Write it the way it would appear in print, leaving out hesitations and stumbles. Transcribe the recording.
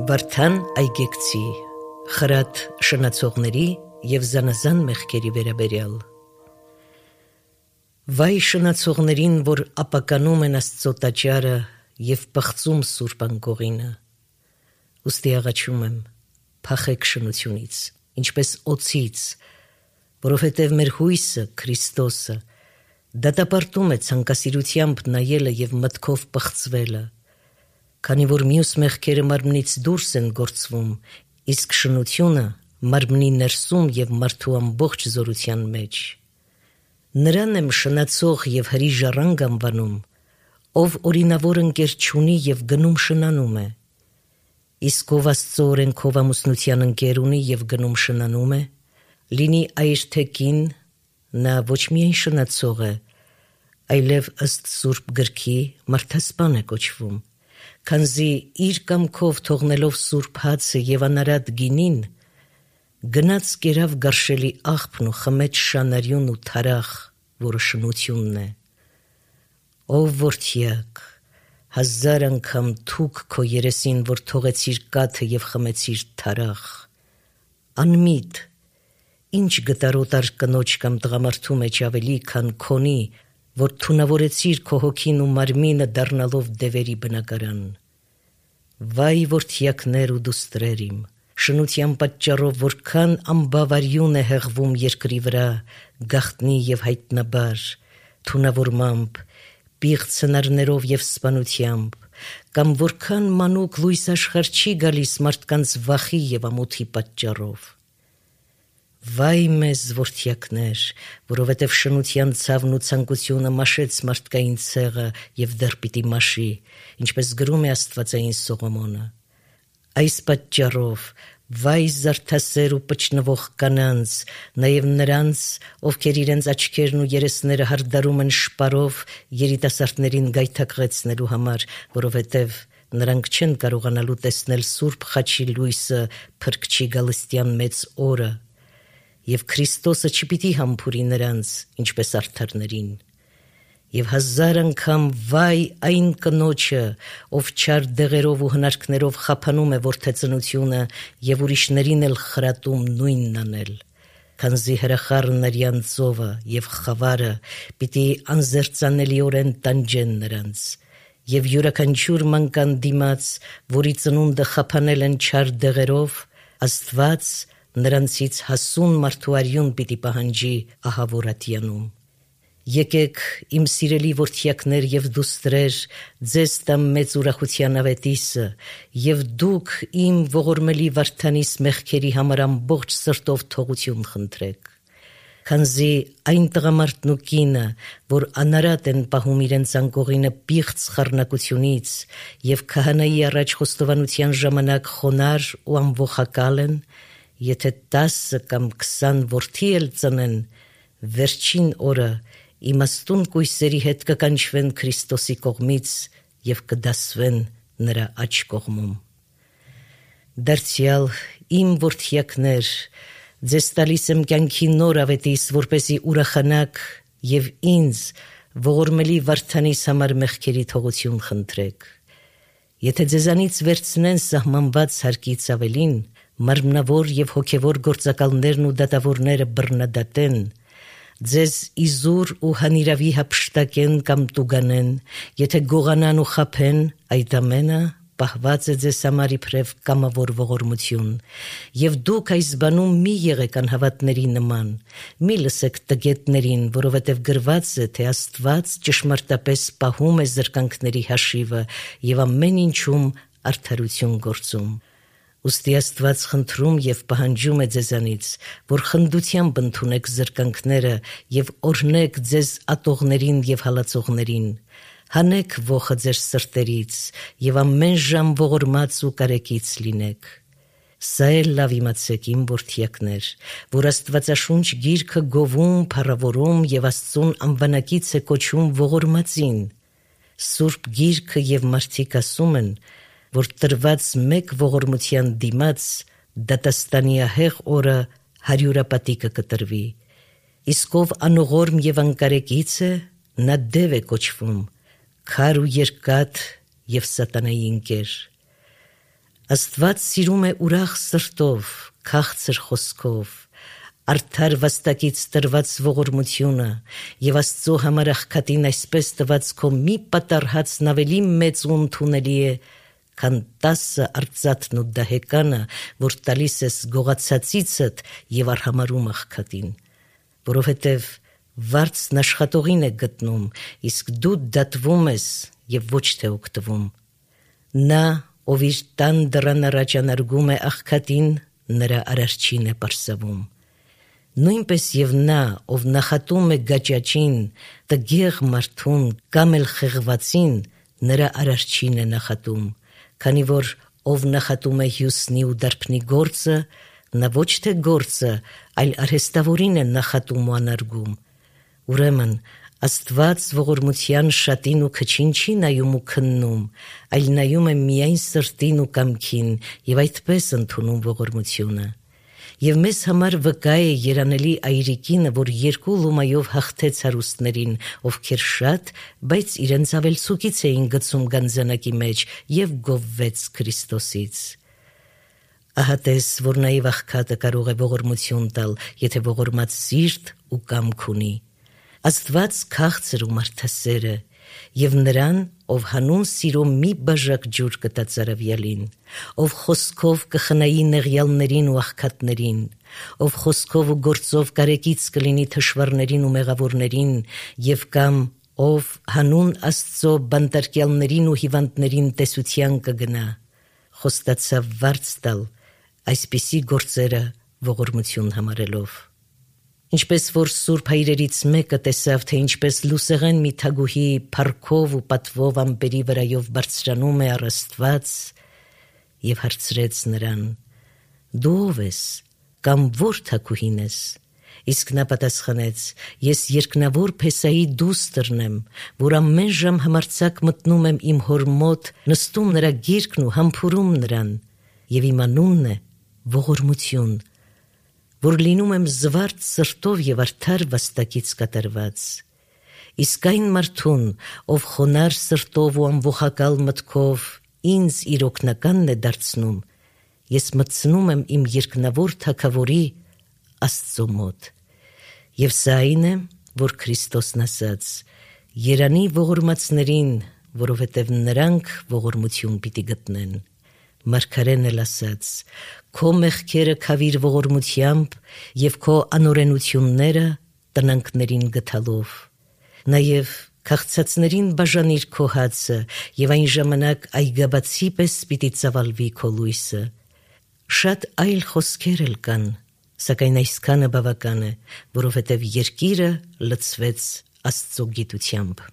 Վարդան այգեկցի, խրատ շնացողների և զանազան մեղքերի վերաբերյալ։ Վայ շնացողներին, որ ապականում են Աստծո տաճարը և պղծում Սուրբ անկողինը։ Ուստի աղաչում եմ, փախեք շնությունից, ինչպես օձից, որովհետև մեր հույսը, Քրիստոսը, դատապարտում է ցանկասիրությամբ նայելը և մտքով պղծվելը, քանի որ մյուս մեղքերը մարմնից դուրս են գործվում, իսկ շնությունը մարմնի ներսում և մարդու ամբողջ զորության մեջ։ Նրան եմ շնացող և հրի ժառանգ անվանում, ով օրինավոր ընկեր չունի և գնում շնանում է, իսկ ով Աստծո օրենքով ամուսնության ընկեր ունի և գնում շնանում է, լինի այր թե կին, նա ոչ միայն շնացող է, այլև ըստ Սուրբ գրքի մարդասպան է կոչվում, քանզի իր կամքով թողնելով Սուրբ հացը և անարատ գինին, գնաց կերավ գարշելի աղբն ու խմեց շանարյուն ու թարախ, որը շնությունն է։ Ով որդյակ, 1000 անգամ թուք քո երեսին, որ թողեցիր կաթը և խմեցիր թարախ։ Անմիտ, ինչ գտարոտար կնոջ կամ տղամարդու մեջ ավելի, քան քոնի, որ թունավորեցիր քո հոգին ու մարմինը դառնալով դևերի բնակարան։ Վայ որդյակներ ու դուստրեր իմ, շնության պատճառով որքան անբավարյուն է հեղվում երկրի վրա, գաղտնի և հայտնաբար, թունավորմամբ, պիղծ հնարներով և սպանությամբ, կամ որքան մանուկ լույս աշխարհ չի գալիս մարդկանց վախի և ամոթի պատճառով։ Վայ մեզ որդյակներ, որովհետև շնության ցավն ու ցանկությունը մաշեց մարդկային ցեղը և դեռ պիտի մաշի, ինչպես գրում է Աստվածային Սողոմոնը։ Այս պատճառով վայ զարդասեր ու պչնվող կանանց, նաև նրանց, ովքեր իրենց աչքերն ու երեսները հարդարում են շպարով երիտասարդներին գայթակղեցնելու համար, որովհետև նրանք չեն կարողանալու տեսնել Սուրբ խաչի լույսը Փրկչի գալստյան մեծ օրը, և Քրիստոսը չպիտի համբուրի նրանց, ինչպես արդարներին։ Եվ 1000 անգամ վայ այն կնոջը, ով չար դեղերով ու հնարքներով խափանում է որդեծնությունը և ուրիշներին էլ խրատում նույնն անել, քանզի հրախառն արյան ծովը և խավարը պիտի անզերծանելիորեն տանջեն նրանց, և յուրաքանչյուր մանկան դիմաց, որի ծնունդը խափանել են չար դեղերով, Աստված նրանցից հասուն մարդու արյուն պիտի պահանջի ահավոր ատյանում։ Եկեք, իմ սիրելի որդյակներ և դուստրեր, ձեզ տամ մեծ ուրախության ավետիսը, և դուք իմ ողորմելի վարդանիս մեղքերի համար ամբողջ սրտով թողություն խնդրեք, քանզի այն տղամարդն ու կինը, որ անարատ են պահում իրենց անկողինը պիղծ խառնակությունից և քահանայի առաջ խոստովանության ժամանակ խոնարհ ու ամվոխակալ են, եթե 10 կամ 20 որդի էլ ծնեն, վերջին օրը իմաստուն կույսերի հետ կկանչվեն Քրիստոսի կողմից և կդասվեն նրա աջ կողմում։ Դարձյալ իմ որդյակներ, ձեզ տալիս եմ կյանքի նոր ավետիս, որպեսզի ուրախանաք և ինձ ողորմելի վարդանիս համար մեղքերի թողություն խնդրեք։ Եթե ձեզանից վերցնեն սահմանված հարկից ավելին, մարմնավոր և հոգևոր գործակալներն ու դատավորները բռնադատեն, ձեզ իզուր ու հանիրավի հափշտակեն կամ տուգանեն, եթե գողանան ու խաբեն, այդ ամենը պահված է ձեզ համար իբրև կամավոր ողորմություն, և դուք այս բանում մի եղեք անհավատների նման, մի լսեք տգետներին, որովհետև գրված է, թե Աստված ճշմարտապես պահում է զրկանքների հաշիվը և ամեն ինչում արդարություն գործում։ Ուստի Աստված խնդրում և պահանջում է ձեզանից, որ խնդությամբ ընդունեք զրկանքները և օրհնեք ձեզ ատողներին և հալածողներին, հանեք ոխը ձեր սրտերից և ամեն ժամ ողորմած ու կարեկից լինեք։ Սա էլ լավ իմացեք, իմ որդյակներ, որ Աստվածաշունչ գիրքը գովում, փառավորում և Աստծուն անվանակից է կոչում ողորմածին։ Սուրբ գիրքը և մարդիկ ասում են, որ տրված մեկ ողորմության դիմաց դատաստանիահեղ օրը 100-պատիկը կտրվի, իսկ ով անողորմ և անկարեկից է, նա դև է կոչվում, քար ու երկաթ և սատանայի ընկեր։ Աստված սիրում է ուրախ սրտով, քաղցր խոսքով, արդար վաստակից տրված ողորմությունը եւ Աստծո համար աղքատին այսպես տված քո մի պատառհացն ավելի մեծ ու ընդունելի է, քան 10 արծաթն ու դահեկանը, որ տալիս ես գողացածիցդ եւ արհամարում աղքատին, որովհետեւ վարձն աշխատողին է գտնում, իսկ դու դատվում ես եւ ոչ թե օգտվում։ Նա, ով իր տան դռան առաջ անարգում է աղքատին, նրա արարչին է պարսավում։ Նույնպես եւ նա, ով նախատում է գաճաճին, տգեղ մարդուն կամ էլ խեղվածին, նրա արարչին է նախատում, քանի որ ով նախատում է հյուսնի ու դարբնի գործը, նա ոչ թե գործը, այլ արհեստավորին է նախատում ու անարգում։ Ուրեմն Աստված ողորմության շատին ու քչին չի նայում ու քննում, այլ նայում է միայն սրտին ու կամքին եւ այդպես ընդունում ողորմությունը։ Եվ մեզ համար վկա է երանելի այրիկինը, որ 2 լումայով հաղթեց հարուստներին, ովքեր շատ, բայց իրենց ավելցուկից էին գցում գանձանակի մեջ եւ գովվեց Քրիստոսից։ Ահա տես, որ նաեւ աղքատը կարող է ողորմություն տալ, եթե ողորմած սիրտ ու կամք ունի։ Աստված քաղցր ու մարդասեր է, եւ նրան, ով հանուն սիրո մի բաժակ ջուր կտա ծարավյալին, ով խոսքով կխնայի նեղյալներին ու աղքատներին, ով խոսքով ու գործով կարեկից կլինի թշվառներին ու մեղավորներին, եւ կամ ով հանուն Աստծո բանտարկյալներին ու հիվանդներին տեսության կգնա, խոստացավ վարձ տալ այսպիսի գործերը ողորմություն համարելով։ Ինչպես որ Սուրբ Հայրերից մեկը տեսավ, թե ինչպես լուսեղեն մի թագուհի փառքով ու պատվով ամպերի վրայով բարձրանում է առ Աստված, եւ հարցրեց նրան. «Դու ով ես, կամ որ թագուհին ես»։ Իսկ նա պատասխանեց. «Ես երկնավոր Փեսայի դուստրն եմ, որ ամեն ժամ համարձակ մտնում եմ իմ հոր մոտ, նստում նրա գիրկն ու համբուրում նրան, եւ իմ անունն է ողորմություն, որ լինում եմ զվարթ սրտով եւ արդար վաստակից կատարված։ Իսկ այն մարդուն, ով խոնար սրտով ու ամբողակալ մտքով ինձ իր օգնականն է դարձնում, ես մտցնում եմ իմ երկնավոր թագավորի Աստծո մոտ։ Եվ սա այն է, որ Քրիստոսն ասաց. «Երանի ողորմածներին, որովհետև նրանք ողորմություն պիտի գտնեն»։ Մարգարեն էլ ասաց. «Քո մեղքերը քավիր ողորմությամբ եւ քո անօրենությունները տնանքներին գթալով»։ Նաեւ քաղցածներին բաժանիր քո հացը եւ այն ժամանակ այգաբացի պես պիտի ծավալվի քո լույսը։ Շատ այլ խոսքեր էլ կան, սակայն այսքանը բավական է, որովհետև երկիրը լցվեց Աստծո գիտությամբ։